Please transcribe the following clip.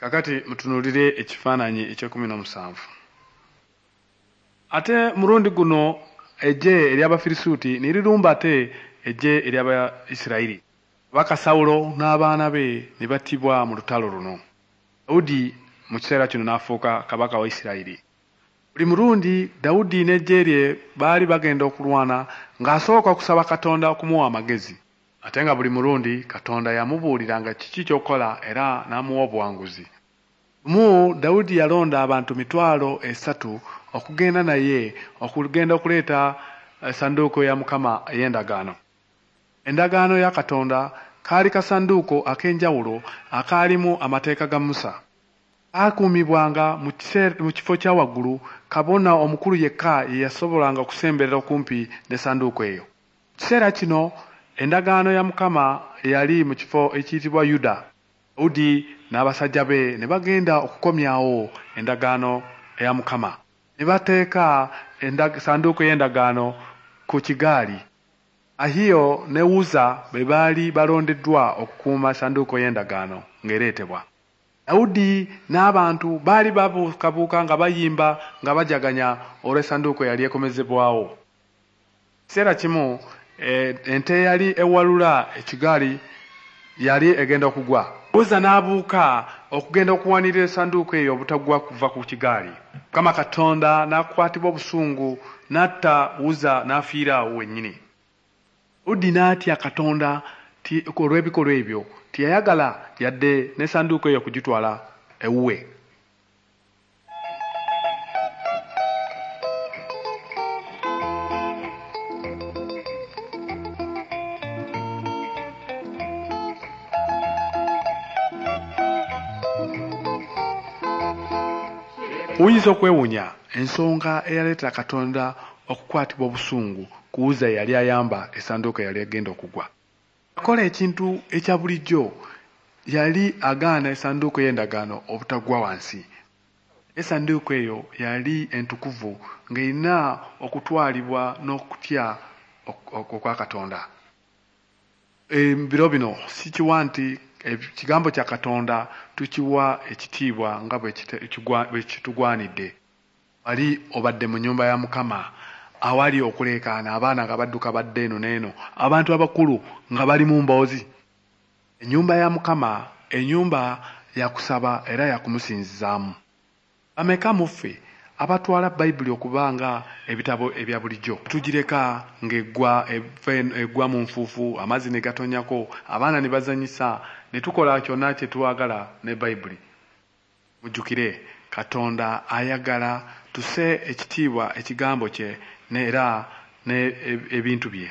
Kakati mutunuulire ekifaananyi eky'ekumi n'omusanvu. Ate mulundi guno eggye ery'Abafirisuuti ne lirumba ate eggye ery'Abaisirayiri. Kabaka Sawulo n'abaana be ne battibwa mu lutalo luno. Dawudi mu kiseera kino n'afuuka kabaka wa Isirayiri. Buli mulundi Dawudi n'eggye lye baali bagenda okulwana, ng'asooka okusaba Katonda okumuwa amagezi. Ate nga buli mulundi Katonda yamubuuliranga kiki ky'okukola era n'amuwa obuwanguzi. Lumu Dawudi yalonda abantu 30,000 okugenda naye okugenda okuleeta essanduuko ya Mukama ey'endagaano. Endagaano ya Katonda kaali kasanduuko ak'enjawulo akaalimu amateeka ga Musa. Kaakuumibwanga mu kifo kya waggulu, kabona omukulu yekka ye yasobolanga okusemberera okumpi n'essanduuko eyo. Mu kiseera kino endagaano ya Mukama yali mu kifo ekiyitibwa Yuda. Dawudi n'abasajja be ne bagenda okukomyawo endagaano ya Mukama. Ne bateeka sanduuko y'endagaano ku kigaali. Ahiyo ne Uzza be baali balondeddwa okukuuma essanduuko y'endagaano ng'ereetebwa. Dawudi n'abantu baali babuukabuuka nga bayimba nga bajaganya olw'essanduuko eyali ekomezebwawo. Ekiseera kimu ente eyali ewalula ekigaali yali egenda okugwa. Uzza n'abuuka okugenda okuwanirira essanduuko eyo obutagwa kuva ku kigaali. Mukama Katonda n'akwatibwa obusungu n'atta Uzza n'afiira awo wennyini. Dawudi n'atya Katonda olw'ebikolwa ebyo, teyayagala yadde n'essanduuko eyo okugitwala ewuwe. Oyinza okwewuunya ensonga eyaleetera Katonda okukwatibwa obusungu ku Uzza eyali ayamba essanduuko eyali egenda okugwa. Yakola ekintu ekya bulijjo, yali agaana essanduuko y'endagaano obutagwa wansi. Essanduuko eyo yali entukuvu ng'erina okutwalibwa n'okutya okwa Katonda. Ebiro bino sikiwa nti ekigambo kya Katonda tukiwa ekitiibwa nga bwe kitugwanidde. Wali obadde mu nnyumba ya Mukama awali okuleekaana, abaana nga badduka badda eno n'eno, abantu abakulu nga bali mu mboozi? Ennyumba ya Mukama, ennyumba ya kusaba era ya kumusinzizaamu. Bameka mu ffe abatwala Bayibuli okuba nga ebitabo ebya bulijjo? Tugireka ng'eggwa egwa mu nfuufu, amazzi ne gatonnyako, abaana ne bazannyisa, ne tukola kyonna kye twagala ne Bayibuli. Mujjukire, Katonda ayagala tusse ekitiibwa ekigambo kye era n'ebintu bye.